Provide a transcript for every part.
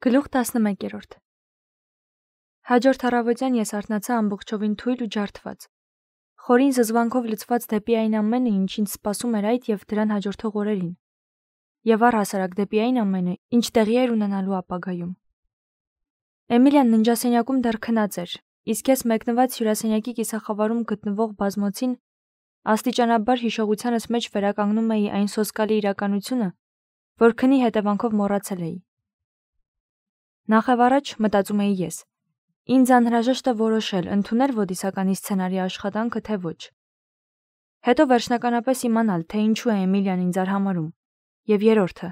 Գլուխ 11-րդ Հաջորդ առավոտյան ես արթնացա ամբողջովին թույլ ու ջարդված, խորին զզվանքով լցված դեպի այն ամենը, ինչ ինձ սպասում էր այդ և դրան հաջորդող օրերին, և առհասարակ դեպի այն ամենը, ինչ տեղի էր ունենալու ապագայում։ Էմիլիան ննջասենյակում դեռ քնած էր, իսկ ես մեկնված հյուրասենյակի կիսախավարում գտնվող բազմոցին աստիճանաբար հիշողությանս մեջ վերականգնում էի այն սոսկալի իրականությունը, որ քնի հետևանքով մոռացել էի։ Նախևառաջ, մտածում էի ես, ինձ անհրաժեշտ է որոշել ընդունել ոդիսականի սցենարի աշխատանքը, թե ոչ։ Հետո վերջնականապես իմանալ, թե ինչու է Էմիլիան ինձ արհամարհում, և երրորդը,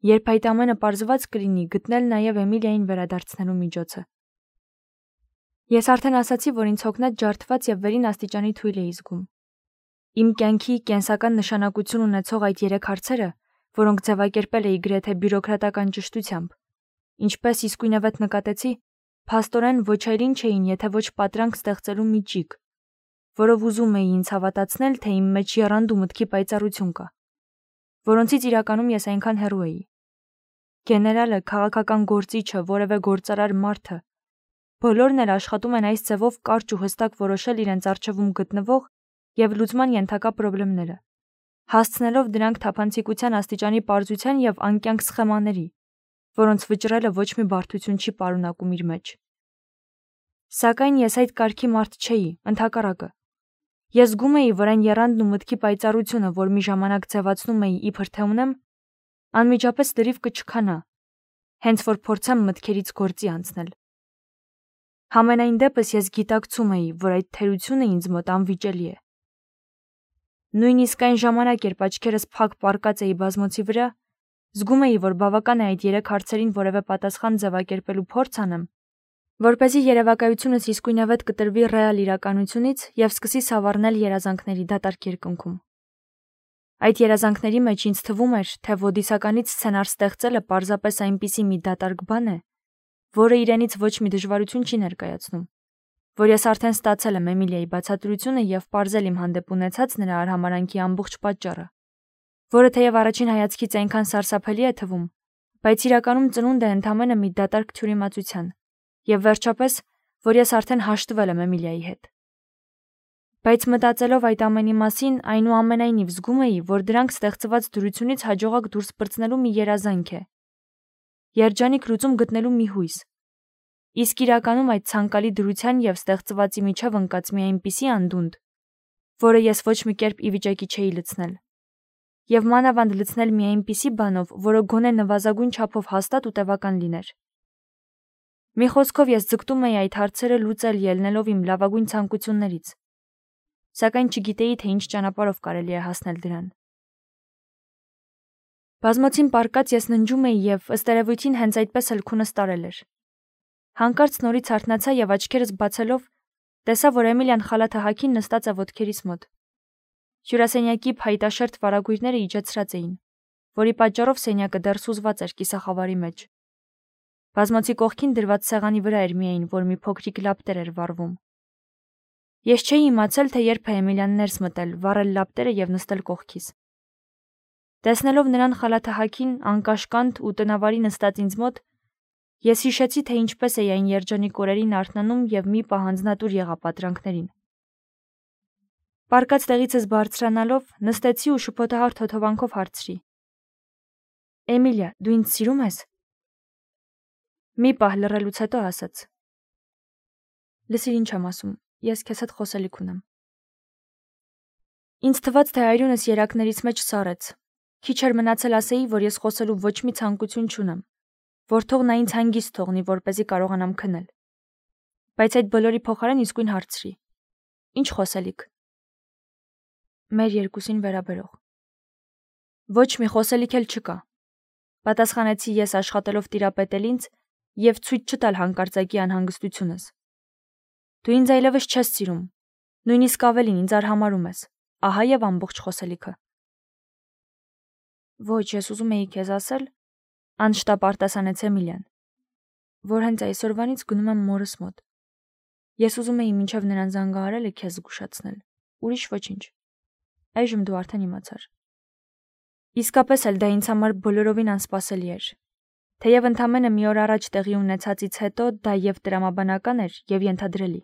երբ այդ ամենը պարզված կլինի, գտնել նաև Էմիլիային վերադարձնելու միջոցը։ Ես արդեն ասացի, որ ինձ հոգնած ջարդված և վերին աստիճանի թույլ էի զգում։ Իմ կյանքի կենսական նշանակություն ունեցող այդ 3 հարցերը, որոնք ձևակերպել էի գրեթե բյուրոկրատական ճշտությամբ, ինչպես իսկույնևեթ նկատեցի, փաստորեն ոչ այլ ինչ էին, եթե ոչ պատրանք ստեղծելու մի ճիգ, որով ուզում էի ինձ հավատացնել, թե իմ մեջ եռանդ ու մտքի պայծառություն կա, որոնցից իրականում ես այնքան հեռու էի։ Գեներալը, քաղաքական գործիչը, որևէ գործարար մարդը, բոլորն էլ աշխատում են այս ձևով կարճ ու հստակ որոշել իրենց առջևում գտնվող և լուծման ենթակա պրոբլեմները, հասցնելով դրանք թափանցիկության աստիճանի պարզության և անկյանք սխեմաների, որոնց վճռելը ոչ մի բարդություն չի պարունակում իր մեջ։ Սակայն ես այդ կարգի մարդ չէի, ընդհակառակը։ Ես զգում էի, որ այն եռանդն ու մտքի պայծառությունը, որ մի ժամանակ ձևացնում էի իբր թե ունեմ, անմիջապես լրիվ կչքանա, հենց որ փորձեմ մտքերից գործի անցնել։ Համենայն դեպս ես գիտակցում էի, որ այդ թերությունը ինձ մոտ անվիճելի է։ Նույնիսկ այն ժամանակ, երբ աչքերս փակ պառկած էի բազմոցի վրա, զգում էի, որ բավական է այդ 3 հարցերին որևէ պատասխան ձևակերպելու փորձ անեմ, որպեսզի երևակայությունս իսկույնևեթ կտրվի ռեալ իրականությունից և սկսի սավառնել երազանքների դատարկ երկնքում։ Այդ երազանքների մեջ ինձ թվում էր, թե ոդիսականից սցենար ստեղծելը պարզապես այնպիսի մի դատարկ բան է, որը իրենից ոչ մի դժվարություն չի ներկայացնում, որ ես արդեն ստացել եմ Էմիլիայի բացատրությունը և պարզել իմ հանդեպ ունեցած նրա արհամարհանքի ամբողջ պատճառը, որը թեև առաջին հայացքից այնքան սարսափելի է թվում, բայց իրականում ծնունդ է ընդամենը մի դատարկ թյուրիմացության, և վերջապես, որ ես արդեն հաշտվել եմ Էմիլիայի հետ։ Բայց մտածելով այդ ամենի մասին, այնուամենայնիվ զգում էի, որ դրանք ստեղծված դրությունից հաջողակ դուրս պրծնելու մի երազանք է, երջանիկ լուծում գտնելու մի հույս, իսկ իրականում այդ ցանկալի դրության և ստեղծվածի միջև ընկած մի այնպիսի անդունդ, որը ես ոչ մի կերպ ի վիճակի չէի լցնել, և մանավանդ լցնել մի այնպիսի բանով, որը գոնե նվազագույն չափով հաստատ ու տևական լիներ։ Մի խոսքով ես ձգտում էի այդ հարցերը լուծել ելնելով իմ լավագույն ցանկություններից, սակայն չգիտեի, թե ինչ ճանապարհով կարելի է հասնել դրան։ Բազմոցին պառկած ես ննջում էի և, ըստ երևույթին, հենց այդպես էլ քունս տարել էր։ Հանկարծ նորից արթնացա և աչքերս բացելով տեսա, որ Էմիլիան խալաթը հագին նստած է ոտքերիս մոտ։ Հյուրասենյակի փայտաշերտ վարագույրները իջեցրած էին, որի պատճառով սենյակը դեռ սուզված էր կիսախավարի մեջ։ Բազմոցի կողքին դրված սեղանի վրա էր միայն, որ մի փոքրիկ լապտեր էր վառվում։ Ես չէի իմացել, թե երբ է Էմիլիան ներս մտել, վառել լապտերը և նստել կողքիս։ Տեսնելով նրան խալաթը հագին, անկաշկանդ ու տնավարի նստած ինձ մոտ, ես հիշեցի, թե ինչպես էի այն երջանիկ օրերին արթնանում և մի պահ անձնատուր եղա պատրանքներին։ Պառկած տեղիցս բարձրանալով, նստեցի ու շփոթահար թոթովանքով հարցրի. Էմիլիա, դու ինձ սիրում ես։ Մի պահ լռելուց հետո ասաց. Լսիր, ինչ եմ ասում, ես քեզ հետ խոսելիք ունեմ։ Ինձ թվաց, թե այրունս երակներից մեջ սառեց։ Քիչ էր մնացել ասեի, որ ես խոսելու ոչ մի ցանկություն չունեմ, որ թող նա ինձ հանգիստ թողնի, որպեսզի կարողանամ քնել։ Բայց այդ բոլորի փոխարեն իսկույն հարցրի. Ինչ խոսելիք։ Մեր երկուսին վերաբերող։ Ոչ մի խոսելիք էլ չկա, պատասխանեցի ես աշխատելով տիրապետել ինձ և ցույց չտալ հանկարծակի անհանգստությունս։ Դու ինձ այլևս չես սիրում, նույնիսկ ավելին ինձ արհամարհում ես, ահա և ամբողջ խոսելիքը։ Ոչ, ես ուզում էի քեզ ասել, անշտապ արտասանեց Էմիլիան, որ հենց այսօրվանից գնում եմ մորս մոտ։ Ես ուզում էի մինչև նրան զանգահարելը քեզ զգուշացնել, ուրիշ ոչինչ։ Այժմ դու արդեն իմացար։ Իսկապես էլ դա ինձ համար բոլորովին անսպասելի էր։ Թեև ընդամենը մի օր առաջ տեղի ունեցածից հետո դա եւ տրամաբանական էր եւ ենթադրելի։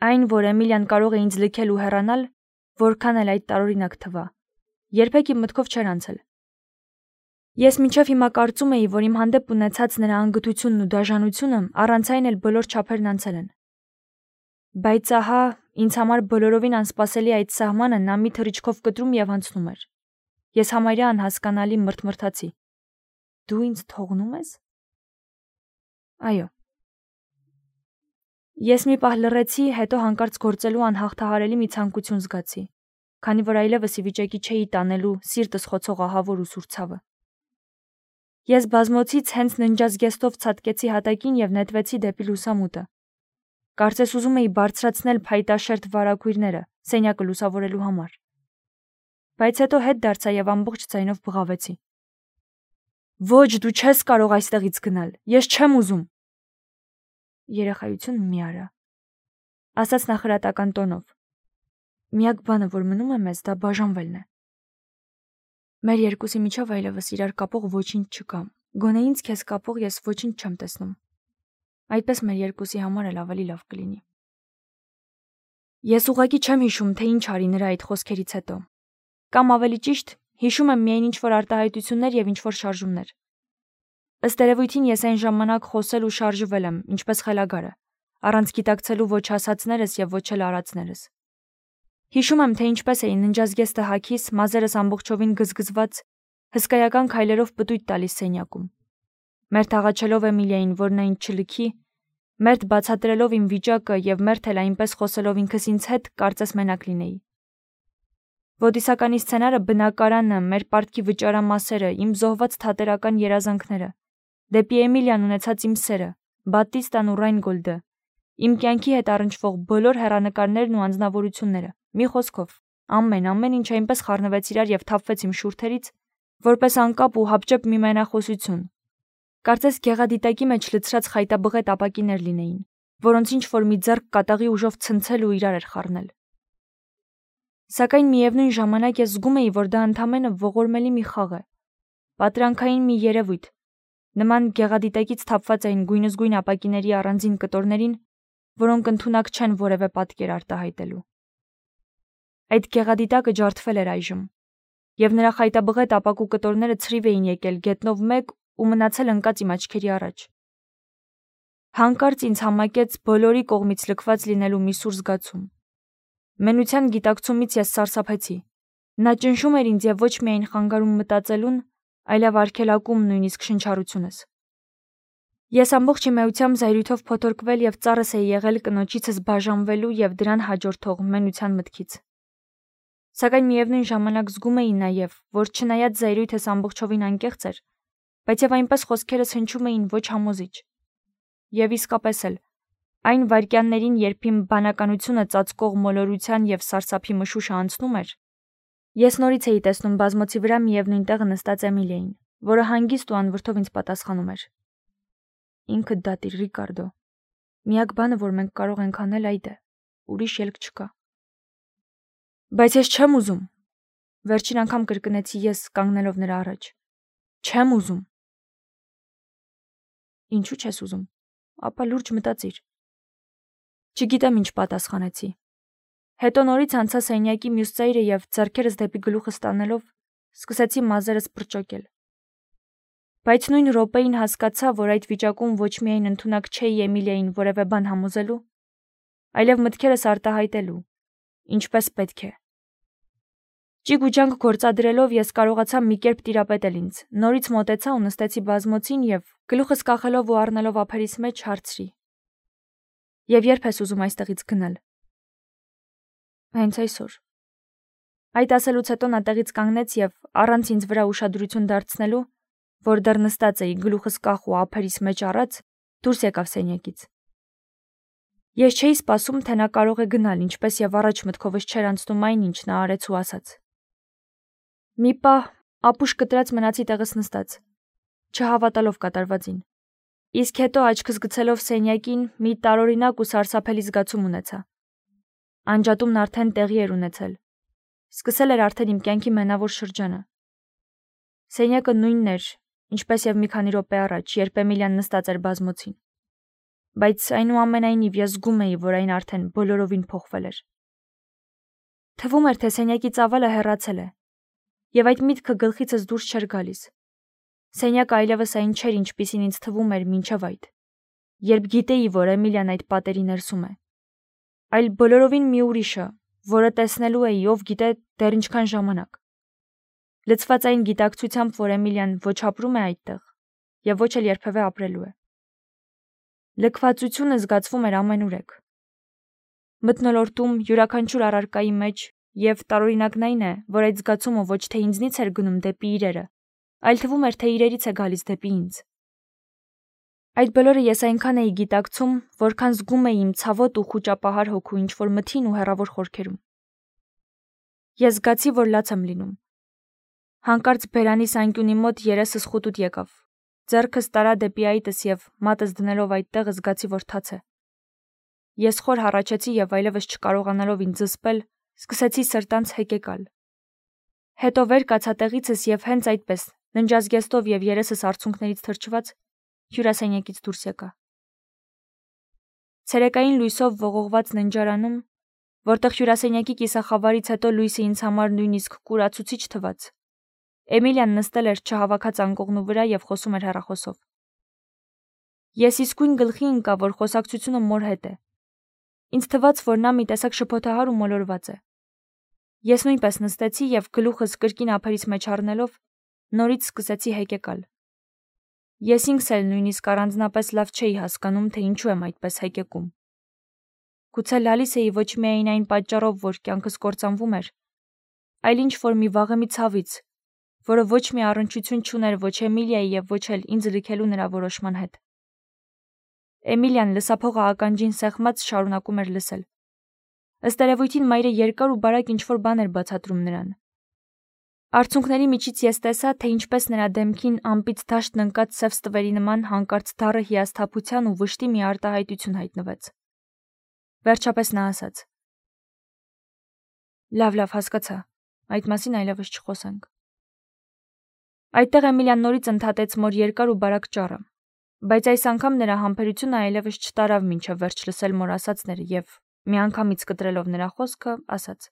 Այն, որ Էմիլիան կարող է ինձ լքել ու հեռանալ, որքան էլ այդ տարօրինակ թվա, երբեք իմ մտքով չէր անցել։ Ես մինչև հիմա կարծում էի, որ իմ հանդեպ ունեցած նրա անգթությունն ու դաժանությունը առանց այն էլ բոլոր չափերն անցել են։ Բայց ահա, ինձ համար բոլորովին անսպասելի այդ սահմանը նա մի թռիչքով կտրում եւ անցնում էր։ Ես համարյա անհասկանալի մրթմրթացի։ Դու ինձ թողնում ես։ Այո։ Ես մի պահ լռեցի, հետո հանկարծ գործելու անհաղթահարելի մի ցանկություն զգացի, քանի որ այլևս ի վիճակի չէի տանելու սիրտս խոցող ահավոր ու սուր ցավը։ Ես բազմոցից հենց ննջազգեստով ցատկեցի հատակին եւ նետվեցի դեպի լուսամուտը։ Կարծես ուզում էի բարձրացնել փայտաշերտ վարագույրները սենյակը լուսավորելու համար։ Բայց հետո հետ դարձա եւ ամբողջ ձայնով բղավեցի. Ոչ, դու չես կարող այստեղից գնալ, ես չեմ ուզում։ Երեխայություն մի արա, ասաց նախրատական տոնով։ Միակ բանը, որ մնում է մեզ, դա բաժանվելն է։ Մեր երկուսի միջև այլևս իրար կապող ոչինչ չկա։ Գոնե ինձ քեզ կապող ես ոչինչ չեմ տեսնում։ Այդպես մեր երկուսի համար էլ ավելի լավ կլինի։ Ես ուղղակի չեմ հիշում, թե ինչ արի նրա այդ խոսքերից հետո։ Կամ ավելի ճիշտ, հիշում եմ միայն ինչ-որ արտահայտություններ եւ ինչ-որ շարժումներ։ Ըստ երևույթին ես այն ժամանակ խոսել ու շարժվել եմ, ինչպես խելագարը, առանց գիտակցելու ոչ ասածներս եւ ոչ էլ արածներս։ Հիշում եմ, թե ինչպես էի ննջազգեստը հագիս, մազերս ամբողջովին գզգզված, հսկայական քայլերով պտույտ տալիս սենյակում։ Մերթ աղաչելով Էմիլիային, որ նա ինձ չլքի, մերթ բացատրելով իմ վիճակը եւ մերթ էլ այնպես խոսելով ինքս ինձ հետ, կարծես մենակ լինեի։ Ոդիսականի սցենարը բնակարանը, մեր պարտքի վճարամասերը, իմ զոհված թատերական երազանքները, դեպի Էմիլիան ունեցած իմ սերը, Բատիստան ու Ռայնգոլդը, իմ կյանքի հետ առնչվող բոլոր հեռանկարներն ու անձնավորությունները, մի խոսքով, ամեն ինչ այնպես խառնվեց իրար եւ թափվեց իմ շուրթերից, որպես անկապ ու հապճեպ մի մենախոսություն։ Կարծես գեղադիտակի մեջ լցրած խայտաբղետ ապակիներ լինեին, որոնց ինչ որ մի ձեռք կատաղի ուժով ցնցել ու իրար էր խառնել։ Սակայն միևնույն ժամանակ ես զգում էի, որ դա ընդամենը ողորմելի մի խաղ է, պատրանքային մի երևույթ, նման գեղադիտակից թափված այն գույնզգույն ապակիների առանձին կտորներին, որոնք ընդունակ չեն որևէ պատկեր արտահայտելու։ Այդ գեղադիտակը ջարդվել էր այժմ, եւ նրա խայտաբղետ ապակու կտորները ցրիվ էին եկել գետնով մեկ ու մնացել ընկած իմ աչքերի առաջ։ Հանկարծ ինձ համակեց բոլորի կողմից լքված լինելու մի սուր զգացում։ Մենության գիտակցումից ես սարսափեցի։ Նա ճնշում էր ինձ եւ ոչ միայն խանգարում մտածելուն, այլև արգելակում նույնիսկ շնչառությունս։ Ես ամբողջ իմայությամբ զայրույթով փոթորկվել եւ ծառս էի եղել կնոջիցս բաժանվելու եւ դրան հաջորդող մենության մտքից։ Սակայն միևնույն ժամանակ զգում էի նաեւ, որ չնայած զայրույթս ամբողջովին անկեղծ էր, բայց եւ այնպես խոսքերս հնչում էին ոչ համոզիչ։ Եվ իսկապես էլ, այն վայրկյաններին, երբ իմ բանականությունը ծածկող մոլորության եւ սարսափի մշուշը անցնում էր, ես նորից էի տեսնում բազմոցի վրա միևնույն տեղը նստած Էմիլիային, որը հանգիստ ու անվրդով ինձ պատասխանում էր. Ինքդ դատիր, Ռիկարդո։ Միակ բանը, որ մենք կարող ենք անել, այդ է։ Ուրիշ ելք չկա։ Բայց ես չեմ ուզում։ Վերջին անգամ կրկնեցի ես, կանգնելով նրա առաջ։ Չեմ ուզում։ Ինչու չես ուզում։ Ապա լուրջ մտածիր։ Չգիտեմ ինչ պատասխանեցի։ Հետո նորից անցա սենյակի մյուս ծայրը եւ ձեռքերս դեպի գլուխս տանելով սկսեցի մազերս պրճոկել։ Բայց նույն րոպեին հասկացա, որ այդ վիճակում ոչ միայն ընդունակ չէի Էմիլիային որևէ բան համոզելու, այլև մտքերս արտահայտելու, ինչպես պետք է։ Ճիգ ու ջանք գործադրելով ես կարողացա մի կերպ տիրապետել ինձ, նորից մոտեցա ու նստեցի բազմոցին եւ գլուխս կախելով ու առնելով ափերիս մեջ հարցրի. Եվ երբ ես ուզում այստեղից գնալ։ Հենց այսօր։ Այդ ասելուց հետո նա տեղից կանգնեց եւ առանց ինձ վրա ուշադրություն դարձնելու, որ դեռ նստած էի գլուխս կախ ու ափերիս մեջ առած, դուրս եկավ սենյակից։ Ես չէի սպասում, թե նա կարող է գնալ, ինչպես եւ առաջ մտքովս չէր անցնում այն, ինչ նա արեց ու ասաց։ Մի պահ ապուշ կտրած մնացի տեղս նստած, չհավատալով կատարվածին։ Իսկ հետո աչքս գցելով սենյակին մի տարօրինակ ու սարսափելի զգացում ունեցա։ Անջատումն արդեն տեղի էր ունեցել։ Սկսել էր արդեն իմ կյանքի մենավոր շրջանը։ Սենյակը նույնն էր, ինչպես եւ մի քանի րոպե առաջ, երբ Էմիլիան նստած էր բազմոցին։ Բայց այնուամենայնիվ ես զգում էի, որ այն արդեն բոլորովին փոխվել էր։ Թվում էր, թե սենյակի ծավալը հեռացել է, եւ այդ միտքը գլխիցս դուրս չէր գալիս։ Սենյակը այլևս այն չէր, ինչպիսին ինձ թվում էր մինչև այդ, երբ գիտեի, որ Էմիլիան այդ պատերի ներսում է, այլ բոլորովին մի ուրիշը, որը տեսնելու էի, ով գիտե դեռ ինչքան ժամանակ։ Լցված այն գիտակցությամբ, որ Էմիլիան ոչ ապրում է այդտեղ, եւ ոչ էլ երբևէ ապրելու է։ Լքվածությունը զգացվում էր ամենուրեք։ Մթնոլորտում յուրաքանչյուր առարկայի մեջ եւ տարօրինակն այն է, որ այդ զգացումը ոչ թե ինձնից էր գնում դեպի իրերը, այլ թվում էր, թե իրերից է գալիս դեպի ինձ։ Այդ բոլորը ես այնքան էի գիտակցում, որքան զգում էի իմ ցավոտ ու խուճապահար հոգու ինչ-որ մթին ու հեռավոր խորքերում։ Ես զգացի, որ լաց եմ լինում։ Հանկարծ բերանիս անկյունի մոտ երեսս խուտուտ եկավ։ Ձեռքս տարա դեպի այտս եւ մատս դնելով այդտեղը զգացի, որ թաց է։ Ես խոր հառաչեցի եւ այլևս չկարողանալով ինձ զսպել, սկսեցի սրտանց հեկեկալ։ Հետո վեր կացա տեղիցս եւ հենց այդպես, ննջազգեստով եւ երեսս արցունքներից թրջված, հյուրասենյակից դուրս եկա։ Ցերեկային լույսով ողողված ննջարանում, որտեղ հյուրասենյակի կիսախավարից հետո լույսը ինձ համար նույնիսկ կուրացուցիչ թվաց, Էմիլիան նստել էր չհավաքած անկողնու վրա եւ խոսում էր հեռախոսով։ Ես իսկույն գլխի ընկա, որ խոսակցությունը մոր հետ է։ Ինձ թվաց, որ նա մի տեսակ շփոթահար ու մոլորված է։ Ես նույնպես նստեցի եւ գլուխս կրկին ափերից մեջ առնելով նորից սկսեցի հեկեկալ։ Ես ինքս էլ նույնիսկ առանձնապես լավ չէի հասկանում, թե ինչու եմ այդպես հեկեկում։ Գուցե լալիս էի ոչ միայն այն պատճառով, որ կյանքս կործանվում էր, այլ ինչ որ մի վաղեմի ցավից, որը ոչ մի առնչություն չուներ ոչ Էմիլիայի եւ ոչ էլ ինձ լքելու նրա որոշման հետ։ Էմիլիան լսափողը ականջին սեղմած շարունակում էր լսել։ Ըստ երևույթին մայրը երկար ու բարակ ինչ-որ բան էր բացատրում նրան։ Արցունքների միջից ես տեսա, թե ինչպես նրա դեմքին ամպից դաշտն ընկած սև ստվերի նման հանկարծ դառը հիասթափության ու վշտի մի արտահայտություն հայտնվեց։ Վերջապես նա ասաց. Լավ, հասկացա, այդ մասին այլևս չխոսենք։ Այդտեղ Էմիլիան նորից ընդհատեց մոր երկար ու բարակ ճառը, բայց այս անգամ նրա համբերությունը այլևս չտարավ մինչև վերջ լսել մոր ասածները եւ միանգամից կտրելով նրա խոսքը, ասաց.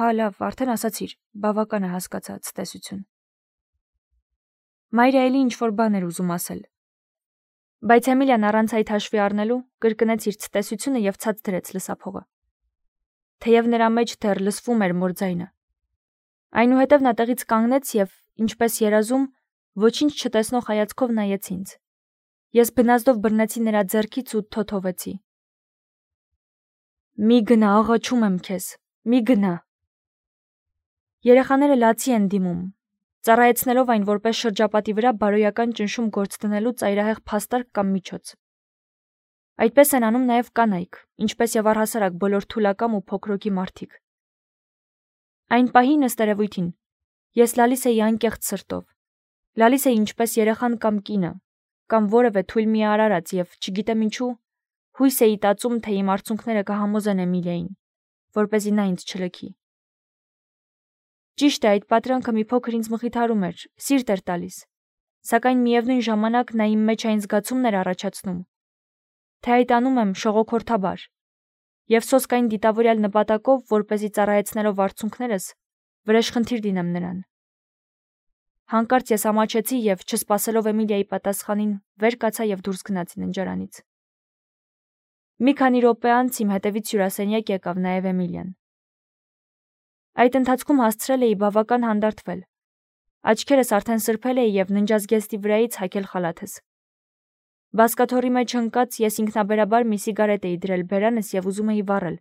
Հա, լավ, արդեն ասացիր, բավական է, հասկացա, ցտեսություն։ Մայրը էլի ինչ-որ բան էր ուզում ասել։ Բայց Էմիլիան առանց այդ հաշվի առնելու կրկնեց իր ցտեսությունը եւ ցած դրեց լսափողը։ Թեև նրա մեջ դեռ լսվում էր մոր ձայնը։ Այնուհետև նա տեղից կանգնեց եւ, ինչպես երազում, ոչինչ չտեսնող հայացքով նայեց ինձ։ Ես բնազդով բռնեցի նրա ձեռքից ու թոթովեցի։ Մի գնա, աղաչում եմ քեզ, մի գնա։ Երեխաները լացի են դիմում, ծառայեցնելով այն որպես շրջապատի վրա բարոյական ճնշում գործ դնելու ծայրահեղ փաստարկ կամ միջոց։ Այդպես են անում նաև կանայք, ինչպես եւ առհասարակ բոլոր թուլակամ ու փոքրոքի մարդիկ։ Այն պահին ըստ երևույթին ես լալիս էի անկեղծ սրտով, լալիս էի ինչպես երեխան կամ կինը, կամ որևէ թույլ մի արարած եւ չգիտեմ ինչու, հույս էի տածում, թե իմ արցունքները կհամոզեն Էմիլիային, որպեսզի նա ինձ չլքի։ Ճիշտ է, այդ պատրանքը մի փոքր ինձ մխիթարում էր, սիրտ էր տալիս, սակայն միևնույն ժամանակ նա իմ մեջ այն զգացումն էր առաջացնում, թե այդ անում եմ շողոքորթաբար, եւ սոսկ այն դիտավորյալ նպատակով, որպեսզի ծառայեցնելով արցունքներս, վրեժխնդիր դինեմ նրան։ Հանկարծ ես ամաչեցի եւ չսպասելով Էմիլիայի պատասխանին, վեր կացա եւ դուրս գնացի ննջարանից։ Մի քանի րոպե անց իմ հետևից հյուրասենյակ եկավ նաեւ Էմիլիան։ Այդ ընթացքում հասցրել էի բավական հանդարտվել։ Աչքերս արդեն սրբել էի եւ ննջազգեստի վրայից հագել խալաթս։ Բասկաթոռի մեջ ընկած ես ինքնաբերաբար մի սիգարետ էի դրել բերանս եւ ուզում էի վառել,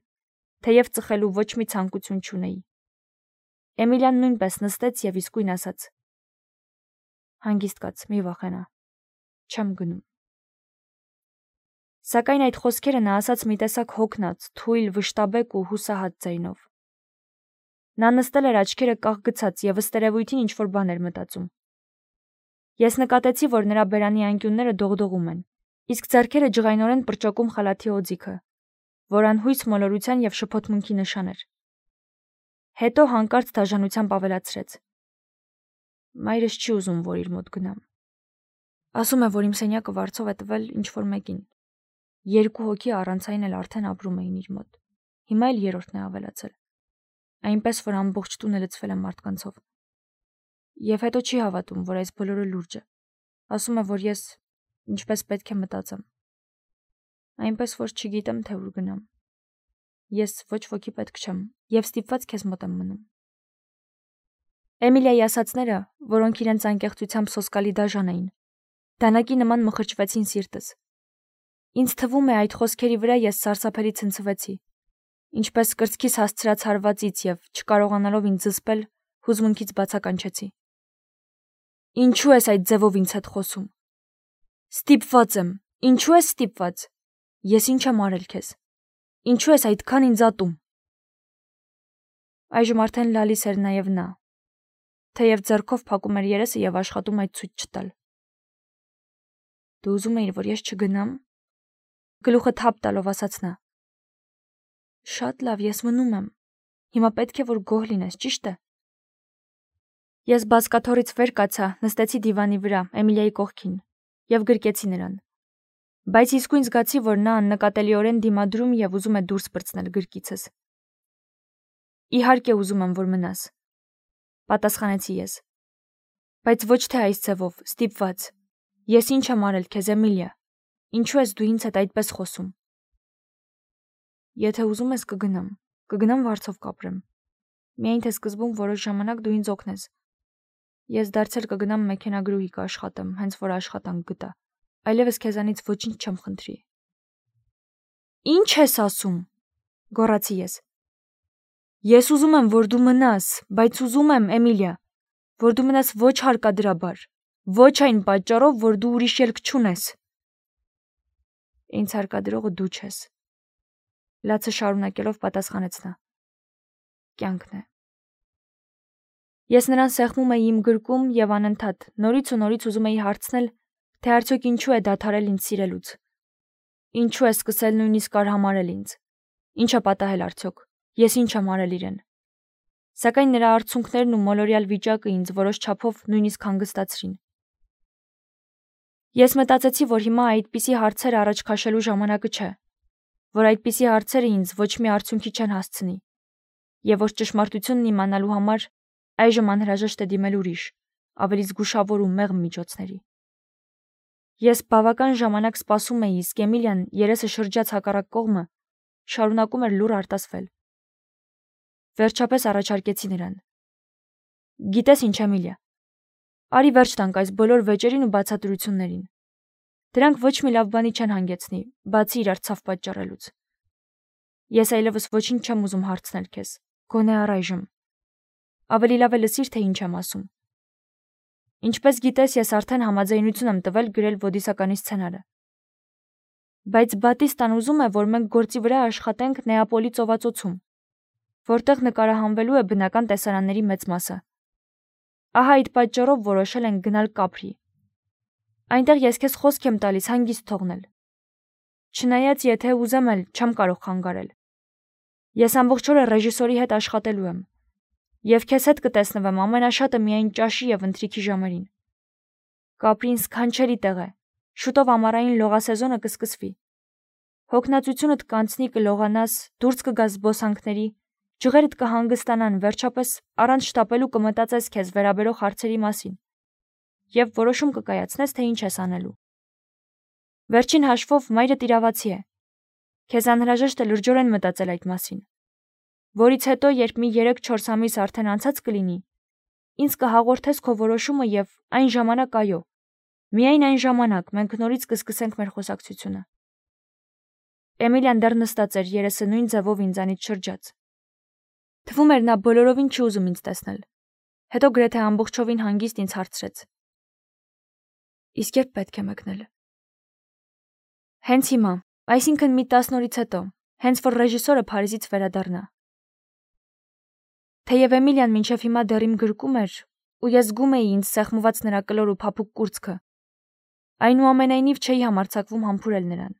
թեև ծխելու ոչ մի ցանկություն չունեի։ Էմիլիան նույնպես նստեց եւ իսկույն ասաց. Հանգիստ կաց, մի վախենա։ Չեմ գնում։ Սակայն այդ խոսքերը նա ասաց մի տեսակ հոգնած, թույլ, վշտաբեկ ու հուսահատ ձայնով։ Նա նստել էր աչքերը կաղ գցած եւ ըստ երևույթին ինչ-որ բան էր մտածում։ Ես նկատեցի, որ նրա բերանի անկյունները դողդողում են, իսկ ձեռքերը ջղայնորեն պրճոկում խալաթի օձիքը, որ անհույս մոլորության եւ շփոթմունքի նշան էր։ Հետո հանկարծ դաժանությամբ ավելացրեց. Մայրս չի ուզում, որ իր մոտ գնամ։ Ասում է, որ իմ սենյակը վարձով է տվել ինչ-որ մեկին։ 2 հոգի առանց այն էլ արդեն ապրում էին իր մոտ։ Հիմա էլ 3-րդն է ավելացել։ Այնպես որ ամբողջ տունը լցվել է մարդկանցով։ Եվ հետո չի հավատում, որ այս բոլորը լուրջ է։ Ասում է, որ ես ինչպես պետք է մտածեմ։ Այնպես որ չգիտեմ, թե ուր գնամ։ Ես ոչ ոքի պետք չեմ եւ ստիպված քեզ մոտ եմ մնում։ Էմիլիայի ասածները, որոնք իրենց անկեղծությամբ սոսկալի դաժան էին, դանակի նման մխրճվեցին սիրտս։ Ինձ թվում է այդ խոսքերի վրա ես սարսափելի ցնցվեցի, ինչպես կրծքիս հասցրած հարվածից եւ չկարողանալով ինձ զսպել, հուզմունքից բացականչեցի։ Ինչու ես այդ ձևով ինձ հետ խոսում։ Ստիպված եմ։ Ինչու ես ստիպված։ Ես ինչ եմ արել քեզ։ Ինչու ես այդքան ինձ ատում։ Այժմ արդեն լալիս էր նաեւ նա, թեև ձեռքով փակում էր երեսը եւ աշխատում այդ ցույց չտալ։ Դու ուզում էիր, որ ես չգնամ։ Գլուխը թափ տալով ասաց նա։ Շատ լավ, ես մնում եմ։ Հիմա պետք է որ գոհ լինես, ճիշտ է։ Ես բազկաթոռից վեր կացա, նստեցի դիվանի վրա, Էմիլիայի կողքին, եւ գրկեցի նրան։ Բայց իսկույն զգացի, որ նա աննկատելիորեն դիմադրում եւ ուզում է դուրս պրծնել գրկիցս։ Իհարկե ուզում եմ, որ մնաս, պատասխանեցի ես։ Բայց ոչ թե այս ձևով, ստիպված։ Ես ինչ եմ արել քեզ, Էմիլիա։ Ինչու ես դու ինձ հետ այդպես խոսում։ Եթե ուզում ես կգնամ վարձով կապրեմ։ Միայն թե սկզբում որոշ ժամանակ դու ինձ օգնես։ Ես դարձել կգնամ մեքենագրուհի կաշխատեմ, հենց որ աշխատանք գտա։ Այլևս քեզանից ոչինչ չեմ խնդրի։ Ինչ ես ասում, գոռացի ես։ Ես ուզում եմ, որ դու մնաս, բայց ուզում եմ, Էմիլիա, որ դու մնաս ոչ հարկադրաբար, ոչ այն պատճառով, որ դու ուրիշ ելք չունես։ Ինձ հարկադրողը դու չես։ Լացը շարունակելով պատասխանեց նա։ Կյանքն է։ Ես նրան սեղմում էի իմ գրկում եւ անընդհատ նորից ու նորից ուզում էի հարցնել, թե արդյոք ինչու է դադարել ինձ սիրելուց։ Ինչու է սկսել նույնիսկ արհամարել ինձ։ Ինչ է պատահել արդյոք։ Ես ինչ եմ արել իրեն։ Սակայն նրա արցունքներն ու մոլորյալ վիճակը ինձ որոշ չափով նույնիսկ հանգստացրին։ Ես մտածեցի, որ հիմա այդպիսի հարցեր առաջ քաշելու ժամանակը չէ, որ այդպիսի հարցերը ինձ ոչ մի արդյունքի չեն հասցնի, եւ որ ճշմարտությունն իմանալու համար այժմ անհրաժեշտ է դիմել ուրիշ, ավելի զգուշավոր ու մեղմ միջոցների։ Ես բավական ժամանակ սպասում էի, իսկ Էմիլիան երեսը շրջած հակառակ կողմը շարունակում էր լուռ արտասվել։ Վերջապես առաջարկեցի նրան։ Գիտես ինչ, Էմիլիա, արի վերջ տանք այս բոլոր վեճերին ու բացատրություններին։ Դրանք ոչ մի լավ բանի չեն հանգեցնի, բացի իրար ցավ պատճառելուց։ Ես այլևս ոչինչ չեմ ուզում հարցնել քեզ, գոնե առայժմ։ Ավելի լավ է լսիր, թե ինչ եմ ասում։ Ինչպես գիտես, ես արդեն համաձայնություն եմ տվել գրել ոդիսականի սցենարը։ Բայց Բատիստան ուզում է, որ մենք գործի վրա աշխատենք Նեապոլի ծովածոցում, որտեղ նկարահանվելու է բնական տեսարանների մեծ մասը։ Ահա այդ պատճառով որոշել ենք գնալ Կապրի։ Այնտեղ ես քեզ խոսք եմ տալիս հանգիստ թողնել։ Չնայած եթե ուզեմ էլ չեմ կարող խանգարել։ Ես ամբողջ օրը ռեժիսորի հետ աշխատելու եմ։ Եվ քեզ հետ կտեսնվեմ ամենաշատը միայն ճաշի եւ ընթրիքի ժամերին։ Կապրին սքանչելի տեղ է։ Շուտով ամառային լողասեզոնը կսկսվի։ Հոգնածությունդ կանցնի, կլողանաս, դուրս կգաս զբոսանքների, ջղերդ կհանգստանան, վերջապես առանց շտապելու կմտածես քեզ վերաբերող հարցերի մասին։ Եվ որոշում կկայացնես, թե ինչ ես անելու։ Վերջին հաշվով մայրդ իրավացի է։ Քեզ անհրաժեշտ է լրջորեն մտածել այդ մասին։ Որից հետո, երբ մի 3-4 ամիս արդեն անցած կլինի, ինձ կհաղորդես քո որոշումը եւ այն ժամանակ այո, միայն այն ժամանակ մենք նորից կսկսենք մեր խոսակցությունը։ Էմիլիան դեռ նստած էր երեսը նույն ձևով ինձանից շրջած։ Թվում էր նա բոլորովին չի ուզում ինձ տեսնել։ Հետո գրեթե ամբողջովին հանգիստ ինձ հարցրեց. Իսկ երբ պետք է մեկնել։ Հենց հիմա, այսինքն մի 10 օրից հետո, հենց որ ռեժիսորը Փարիզից վերադառնա։ Թեև Էմիլիան մինչև հիմա դեռ իմ գրկում էր, ու ես զգում էի ինձ սեղմված նրա կլոր ու փափուկ կուրծքը, այնուամենայնիվ չէի համարձակվում համբուրել նրան։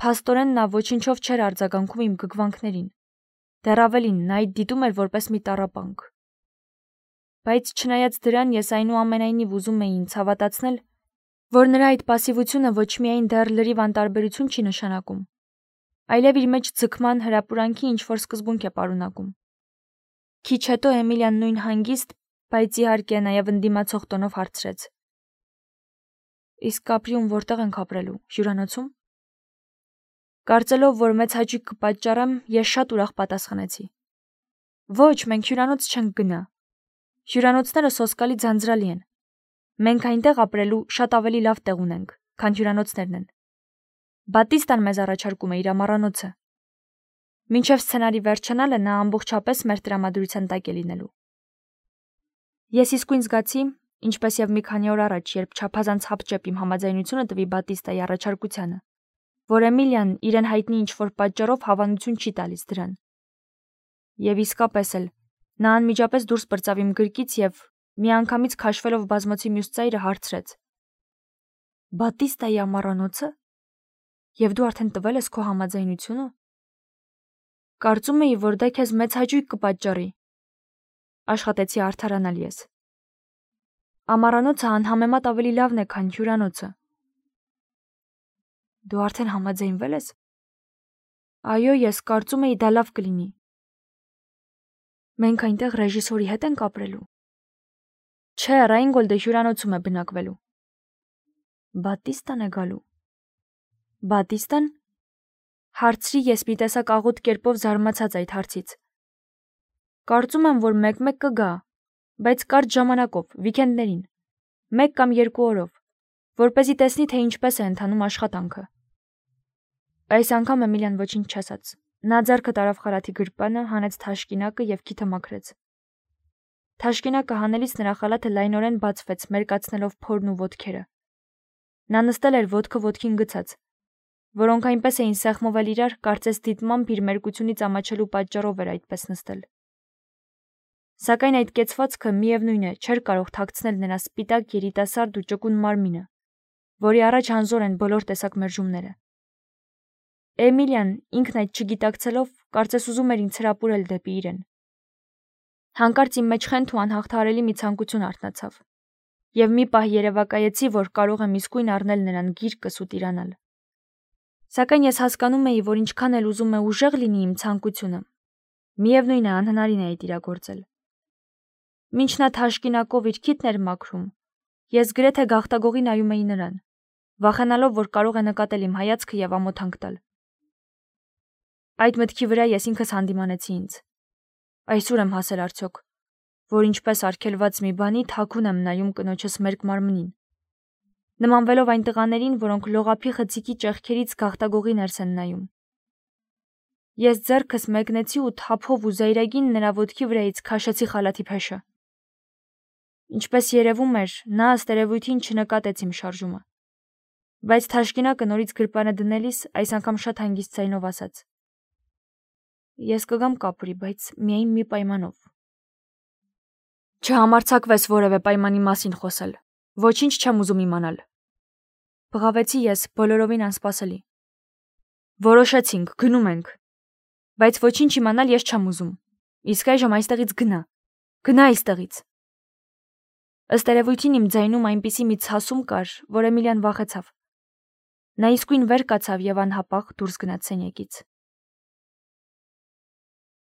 Փաստորեն նա ոչինչով չէր արձագանքում իմ գգվանքներին, դեռ ավելին նա այդ դիտում էր որպես մի տառապանք։ Բայց չնայած դրան ես այնուամենայնիվ ուզում էի ինձ հավատացնել, որ նրա այդ պասիվությունը ոչ միայն դեռ լրիվ անտարբերություն չի նշանակում, այլև իր մեջ ձգման հրապուրանքի ինչ-որ սկզբունք է պարունակում։ Քիչ հետո Էմիլիան նույն հանգիստ, բայց իհարկե նաև ընդդիմացող տոնով հարցրեց. Իսկ Կապրիում որտեղ ենք ապրելու, հյուրանոցում։ Կարծելով, որ մեծ հաճույք կպատճառեմ, ես շատ ուրախ պատասխանեցի. Ոչ, մենք հյուրանոց չենք գնա։ Հյուրանոցները սոսկալի ձանձրալի են։ Մենք այնտեղ ապրելու շատ ավելի լավ տեղ ունենք, քան հյուրանոցներն են։ Բատիստան մեզ առաջարկում է իր ամառանոցը։ Մինչև սցենարի վերջանալը նա ամբողջապես մեր տրամադրության տակ է լինելու։ Ես իսկույն զգացի, ինչպես եւ մի քանի օր առաջ, երբ չափազանց հապճեպ իմ համաձայնությունը տվի Բատիստայի առաջարկությանը, որ Էմիլիան իրեն հայտնի ինչ-որ պատճառով հավանություն չի տալիս դրան։ Եվ իսկապես էլ նա անմիջապես դուրս բրծավ իմ գրկից եւ միանգամից քաշվելով բազմոցի մյուս ծայրը հարցրեց. Բատիստայի ամառանոցը։ Եվ դու արդեն տվել ես քո համաձայնությունը։ Կարծում էի, որ դա քեզ մեծ հաճույք կպատճառի։ Աշխատեցի արդարանալ ես։ Ամառանոցը անհամեմատ ավելի լավն է, քան հյուրանոցը։ Դու արդեն համաձայնվել ես։ Այո, ես կարծում էի դա լավ կլինի։ Մենք այնտեղ ռեժիսորի հետ ենք ապրելու։ Չէ, Ռայնգոլդը հյուրանոցում է բնակվելու։ Բատիստան է գալու։ Բատիստան։ Հարցրի ես մի տեսակ աղոտ կերպով զարմացած այդ հարցից։ Կարծում եմ, որ մեկ-մեկ կգա, բայց կարճ ժամանակով, վիկենդներին, 1 կամ 2 օրով, որպեսզի տեսնի, թե ինչպես է ընթանում աշխատանքը։ Այս անգամ Էմիլիան ոչինչ չասաց։ Նա ձեռքը տարավ խալաթի գրպանը, հանեց թաշկինակը եւ քիթը մաքրեց։ Թաշկինակը հանելիս նրա խալաթը լայնորեն բացվեց, մերկացնելով փորն ու ոտքերը։ Նա նստել էր ոտքը ոտքին գցած, որոնք այնպես էին սեղմովել իրար, կարծես դիտմամբ իր մերկությունից ամաչելու պատճառով էր այդպես նստել։ Սակայն այդ կեցվածքը միևնույն է, չէր կարող թաքցնել նրա սպիտակ երիտասարդ ու ճկուն մարմինը, որի առաջ անզոր են բոլոր տեսակ մերժումները։ Էմիլիան ինքն այդ չգիտակցելով, կարծես ուզում էր ինձ հրապուրել դեպի իրեն։ Հանկարծ իմ մեջ խենթ ու անհաղթահարելի մի ցանկություն արթնացավ, եւ մի պահ երևակայեցի, որ կարող եմ իսկույն առնել նրան գիրկս ու տիրանալ։ Սակայն ես հասկանում էի, որ ինչքան էլ ուզում է ուժեղ լինի իմ ցանկությունը, միևնույն է անհնարին է այդ իրագործել։ Մինչ նա թաշկինակով իր քիթն էր մաքրում, ես գրեթե գաղտագողի նայում էի նրան, վախենալով, որ կարող է նկատել իմ հայացքը եւ ամոթանք տալ։ Այդ մտքի վրա ես ինքս հանդիմանեցի ինձ։ Այսօր եմ հասել արդյոք, որ ինչպես արգելված մի բանի թաքուն եմ նայում կնոջս մերկ մարմնին, նմանվելով այն տղաներին, որոնք լողափի խցիկի ճեղքերից գաղտագողի ներս են նայում։ Ես ձեռքս մեկնեցի ու թափով ու զայրագին նրա ոտքի վրայից քաշեցի խալաթի փեշը։ Ինչպես երևում էր, նա ըստ երևույթին չնկատեց իմ շարժումը, բայց թաշկինակը նորից գրպանը դնելիս այս անգամ շատ հանգիստ ձայնով ասաց. Ես կգամ Կապրի, բայց միայն մի պայմանով։ Չհամարձակվես որևէ պայմանի մասին խոսել։ Ոչինչ չեմ ուզում իմանալ։ Բղավեցի ես, բոլորովին անսպասելի։ Որոշեցինք, գնում ենք։ Բայց ոչինչ իմանալ ես չեմ ուզում։ Իսկ այժմ այստեղից գնա։ Գնա այստեղից։ Ըստ երևույթին իմ ձայնում այնպիսի մի ցասում կար, որ Էմիլիան վախեցավ։ Նա իսկույն վեր կացավ եւ անհապաղ դուրս գնաց սենյակից։